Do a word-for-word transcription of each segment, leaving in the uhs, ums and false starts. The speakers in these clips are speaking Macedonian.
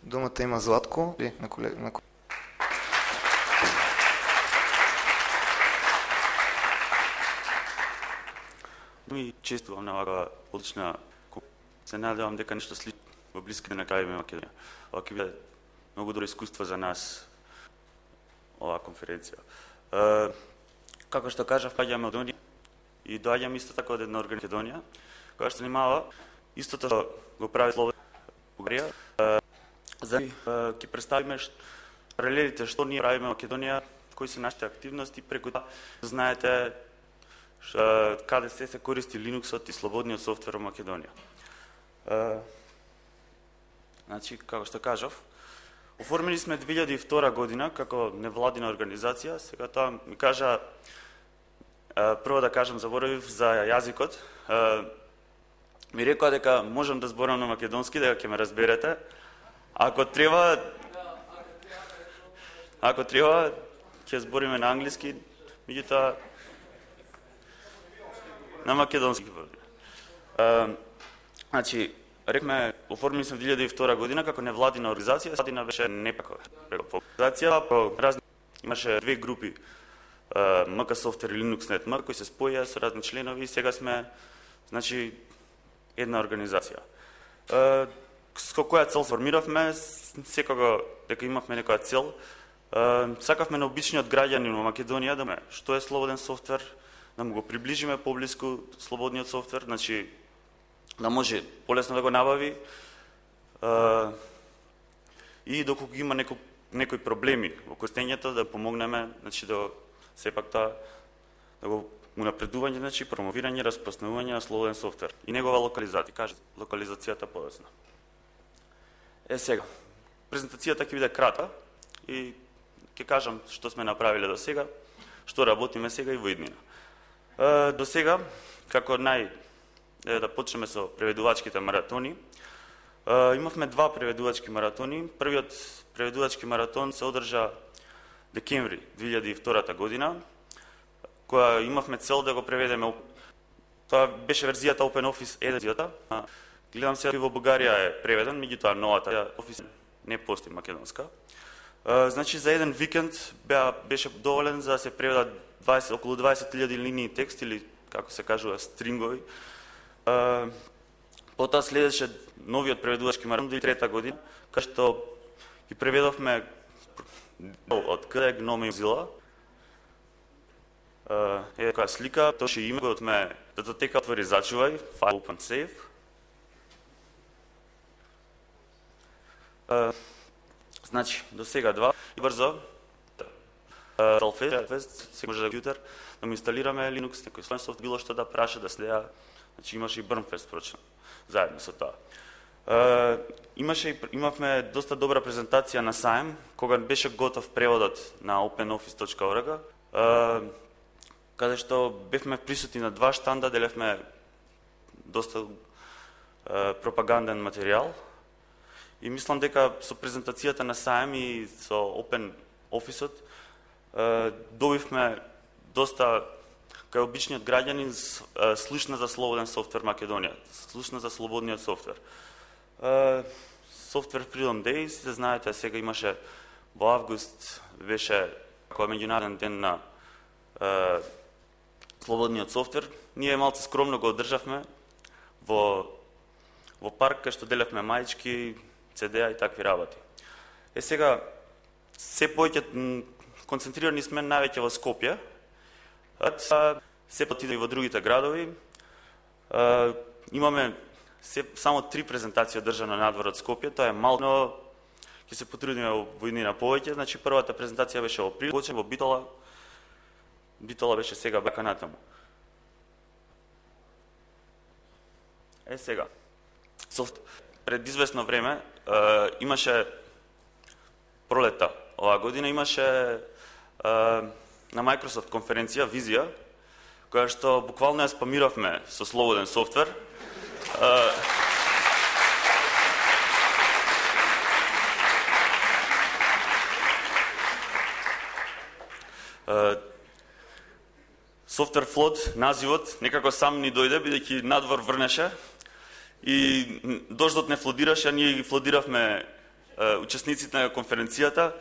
Думата има Златко и на колега. На... Ми честувам на оваа одлична. Се надевам дека нешто слично во блиските на крајови Македонија. Ова ќе биде многу добро искуство за нас оваа конференција. Е, како што кажав, паѓаме од Македонија и доаѓаме исто така од една организација која што занимава истото што го прави Словенија Бугарија. За ќе представиме паралелите што ние правиме во Македонија, кои се нашите активности, преку тоа знаете ш, каде се се користи Linux-от и слободниот софтвер во Македонија. Uh, значи, како што кажав, оформени сме две илјади и втора година како невладина организација. Сега тоа ми кажа, uh, прво да кажам, заборавив за јазикот. Uh, ми рекоа дека можам да зборам на македонски, дека ќе ме разберете. Ако треба, ако треба, ќе збориме на англиски, меѓутоа на македонски. Uh, Значи, рекме, оформени сме две илјади и втора година како невладина организација, владина беше непако. Организација по разни имаше две групи, М К Софтвер и LinuxNet М, кои се споја со разни членови и сега сме, значи, една организација. Со која цел формиравме, секако дека имавме некоја цел, сакавме на обичниот граѓанин во Македонија да ме што е слободен софтвер, да му го приближиме поблиску слободниот софтвер, значи да може полесно да го набави uh, и доколку има неко, некои проблеми во користењето да помогнеме, значи да сепак тоа да го унапредување, значи промовирање, распространување на слободен софтвер и негова локализација, каже локализацијата подоцна. Е сега, презентацијата ќе биде кратка и ќе кажам што сме направиле до сега, што работиме сега и во иднина. Uh, до сега, како нај да почнеме со преведувачките маратони. Uh, имавме два преведувачки маратони. Првиот преведувачки маратон се одржа декември две илјади и втора година, која имавме цел да го преведеме. Тоа беше верзијата OpenOffice еден. Гледам сега во Бугарија е преведен, меѓутоа новата Office не постои македонска. Uh, значи за еден викенд беа, беше доволен за да се преведат дваесет, околу дваесет илјади линии текст или како се кажува стрингови. Uh, потоа следеше новиот преведувачки маратон две илјади и трета година, кај што ги преведовме од К Д, Гном и Mozilla. Uh, е која слика, тоа ше име од ме датотека отвори зачувај, файл open save. Uh, значи, до сега два и брзо. Self-test, се може да компјутер да му инсталираме Linux, некој слоен софт, било што да праша, да следа. Значи имаше и Burnfest прочно, заедно со тоа. Uh, имаше, имавме доста добра презентација на сајм, кога беше готов преводот на openoffice точка org, uh, каде што бевме присутни на два штанда, делевме доста uh, пропаганден материјал. И мислам дека со презентацијата на сајм и со OpenOffice-от uh, добивме доста кај обичниот граѓанин слушна за слободен софтвер Македонија, слушна за слободниот софтвер. Software Freedom Days, се знаете, сега имаше во август, беше кој меѓународен ден на uh, слободниот софтвер. Ние малце скромно го одржавме во, во парк, кај што делевме мајчки, Це Де-а и такви работи. Е сега, се повеќе концентрирани сме највеќе во Скопје, се потиде и во другите градови. Uh, имаме се, само три презентации одржана надвор од Скопје, тоа е мал, но ќе се потрудиме во иднина повеќе. Значи првата презентација беше во април, во Битола. Битола беше сега бака натаму. Е сега. Софт пред известно време uh, имаше пролета оваа година имаше uh, на Microsoft конференција Визија, која што буквално ја спамиравме со слободен софтвер. Uh, uh, Software Flood, називот, некако сам ни дојде, бидејќи надвор врнеше и дождот не флодираше, а ние ги флодиравме учесниците на конференцијата,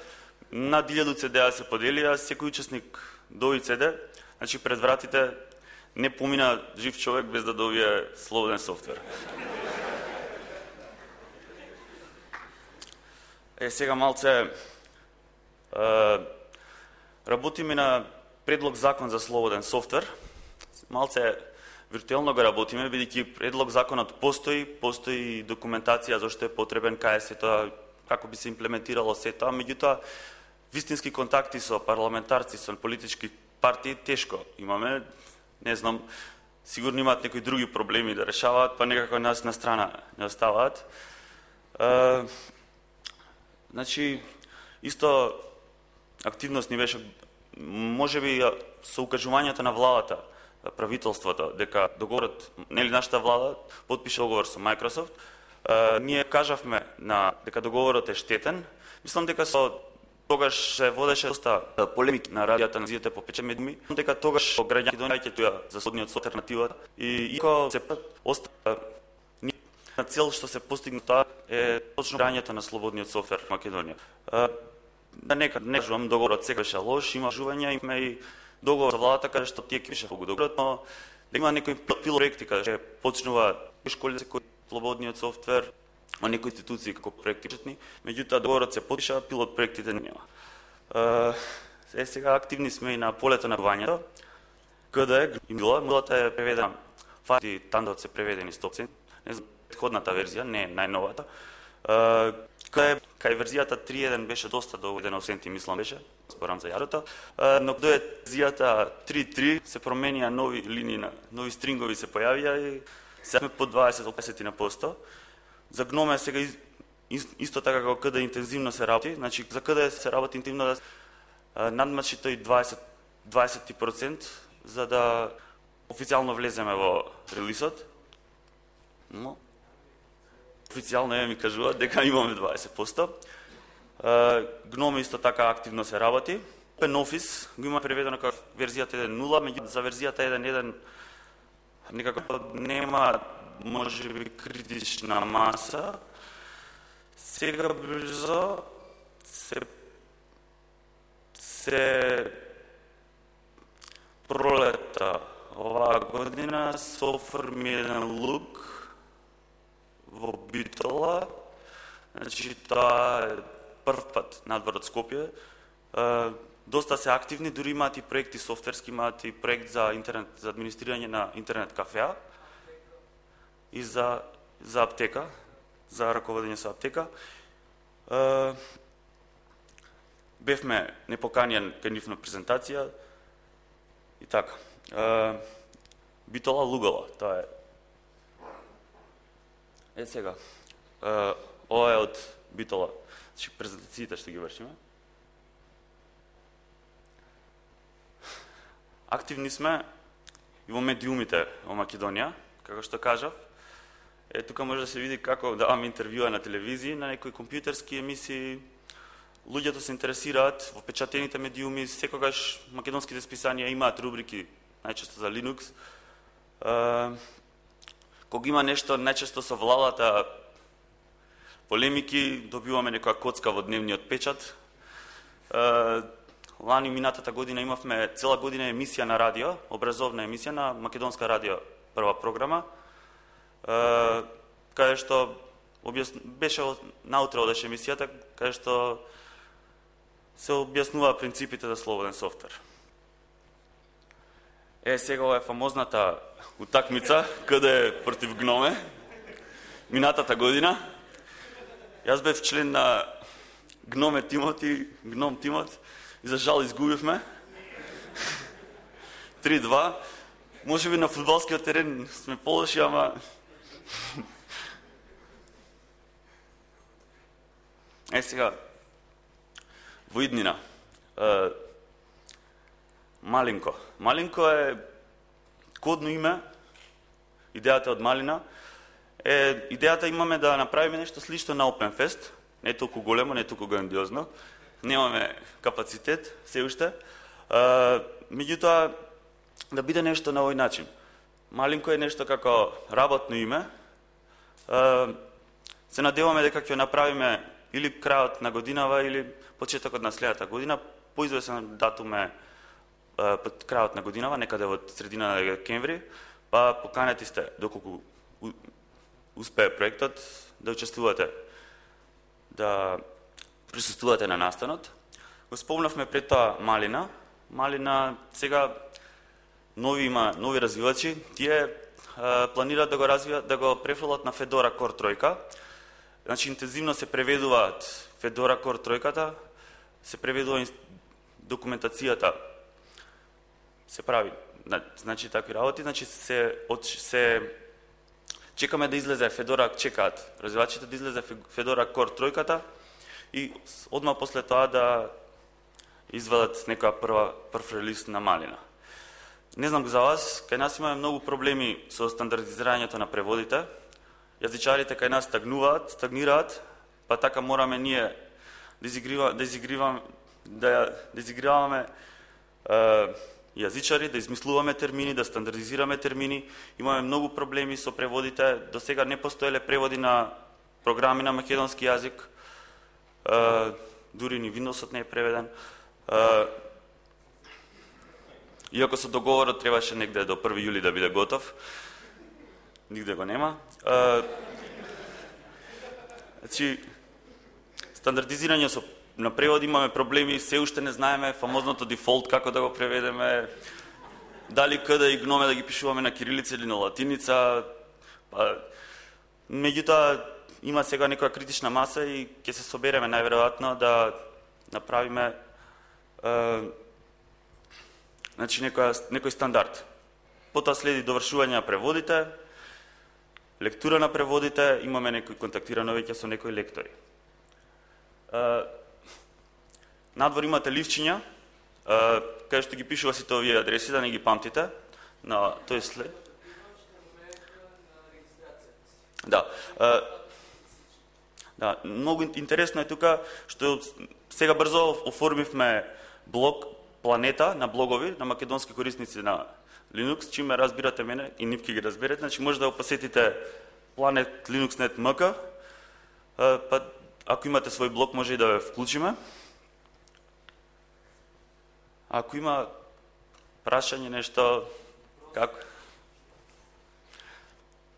над илјаду цедеа се поделија, секој учесник доби цеде, значи пред вратите не помина жив човек без да добие слободен софтвер. Е, сега малце е, работиме на предлог закон за слободен софтвер. Малце виртуелно го работиме, бидејќи предлог законот постои, постои документација зашто е потребен, кај се тоа, како би се имплементирало се тоа, меѓутоа вистински контакти со парламентарци, со политички партии тешко имаме, не знам, сигурно имаат некои други проблеми да решаваат, па некако нас на страна не оставаат. Е, значи, исто активност ни беше, можеби со укажувањето на владата, правителството, дека договорот, нели нашата влада потпише договор со Microsoft, е, ние кажавме на дека договорот е штетен. Мислам дека со тогаш се водеше доста полемики на радијата на телевизијата по пече медиуми, дека тогаш граѓаните донајќа тоа за слободниот софтвер алтернативата и ико се остава на цел што се постигна тоа е точно грањето на слободниот софтвер во Македонија. Да нека не кажувам договорот сега беше лош, има жувања, има и договор со владата каде што тие пише во договорот, но да има некои пилот проекти каде што почнува школи се кој слободниот софтвер, а некои институции како проекти почетни, меѓутоа договорот се потпиша, пилот проектите нема. Е, сега активни сме и на полето на вањето, каде е Мила, Милата е преведена, фати тандот се преведени сто проценти, не знам, предходната верзија, не е најновата, кај, кај верзијата три точка еден беше доста доведено сенти, мислам беше, спорам за јарото, но каде е верзијата три точка три се променија нови линии, нови стрингови се појавија и сега сме по дваесет до песет на посто. За Гноме сега исто така како каде интензивно се работи, значи за каде се работи интензивно да надмачи тој дваесет проценти за да официјално влеземе во релисот. Но официјално е ми кажуваат дека имаме дваесет проценти. Гноме исто така активно се работи. OpenOffice го има преведено како верзијата еден точка нула, меѓутоа за верзијата еден точка еден некако нема можеби критична маса. Сега брзо се се пролета оваа година се оформи еден лук во Битола. Значи тоа е прв пат надвор од Скопје. Доста се активни, дури имаат и проекти софтверски, имаат и проект за интернет, за администрирање на интернет кафеа и за, за аптека, за раководење со аптека. Е, бевме непоканjen кај нив на презентација и така. Е, Битола Лугала, тоа е. Е сега, е, ова е од Битола, значи презентациите што ги вршиме. Активни сме и во медиумите во Македонија, како што кажав. Е, тука може да се види како даваме интервјуа на телевизии, на некои компјутерски емисии. Луѓето се интересираат во печатените медиуми, секогаш македонските списанија имаат рубрики, најчесто за Linux. Е, кога има нешто, најчесто со владата полемики, добиваме некоја коцка во дневниот печат. Е, Лани минатата година имавме цела година емисија на радио, образовна емисија на Македонска радио, прва програма, каде што беше наутро одеше емисијата, каде што се објаснува принципите за слободен софтвер. Е, сега ова е фамозната утакмица, каде е против Гноме, минатата година. Јас бев член на Гноме тимот и Гном тимот, и за жал изгубивме. три два. Може би на фудбалскиот терен сме полоши, ама е сега во иднина. Е, Малинко. Малинко е кодно име. Идејата од Малина е идејата имаме да направиме нешто слично на OpenFest, не е толку големо, не е толку грандиозно. Немаме капацитет се уште. Меѓутоа да биде нешто на овој начин. Малинко е нешто како работно име. Се надеваме дека ќе направиме или крајот на годинава или почетокот на следната година, поизвесен датум е под крајот на годинава, некаде во средина на декември, па поканети сте доколку успее проектот да учествувате, да присуствувате на настанот. Го спомнавме пред тоа Малина. Малина сега нови има нови развивачи, тие а, планираат да го развијат, да го префрлат на Fedora Core тројка. Значи интензивно се преведуваат Fedora Core тројката, се преведува документацијата, се прави, значи такви работи, значи се од, се чекаме да излезе Fedora, чекаат развивачите да излезе Fedora Core тројката и одма после тоа да извадат некоја прва прв релиз на Малина. Не знам за вас, кај нас имаме многу проблеми со стандардизирањето на преводите. Јазичарите кај нас стагнуваат, стагнираат, па така мораме ние да изигриваме, да изигриваме, да, да изиграваме е, јазичари, да измислуваме термини, да стандардизираме термини. Имаме многу проблеми со преводите. До сега не постоеле преводи на програми на македонски јазик. Е, дури ни Windows-от не е преведен. Uh, иако со договорот требаше негде до први јули да биде готов, нигде го нема. Uh, значи, стандардизирање со, на превод имаме проблеми, се уште не знаеме фамозното дефолт, како да го преведеме, дали каде и гноме да ги пишуваме на кирилица или на латиница. Па, меѓутоа, има сега некоја критична маса и ќе се собереме најверојатно да направиме Uh, значи некој, некој стандард. Потоа следи довршување на преводите, лектура на преводите, имаме некој контактирано веќе со некои лектори. Uh, надвор имате ливчиња, uh, кај што ги пишува сите овие адреси, да не ги памтите. На тој след. Да. Uh, да, многу интересно е тука што сега брзо оформивме блог Планета на блогови на македонски корисници на Linux, чиме разбирате мене и нивки ги разберете, значи може да го посетите Planet Linux точка нет точка ем ка, па ако имате свој блог може и да ве вклучиме. Ако има прашање нешто, како?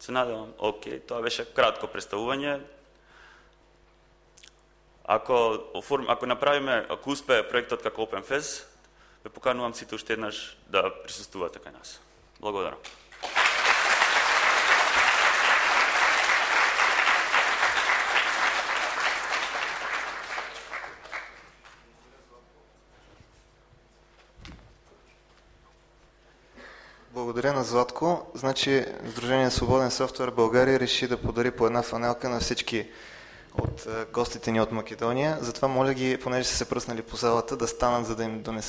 Се надевам, окей, тоа беше кратко представување. Ако, оформ, ако направиме, ако успее проектот како OpenFest, ве поканувам сите уште еднаш да присуствувате кај нас. Благодарам. Благодаря на Златко. Значи, Сдружение Свободен софтуер България реши да подари по една фанелка на всички от гостите ни от Македония. Затова моля ги, понеже са се пръснали по залата, да станат, за да им донеса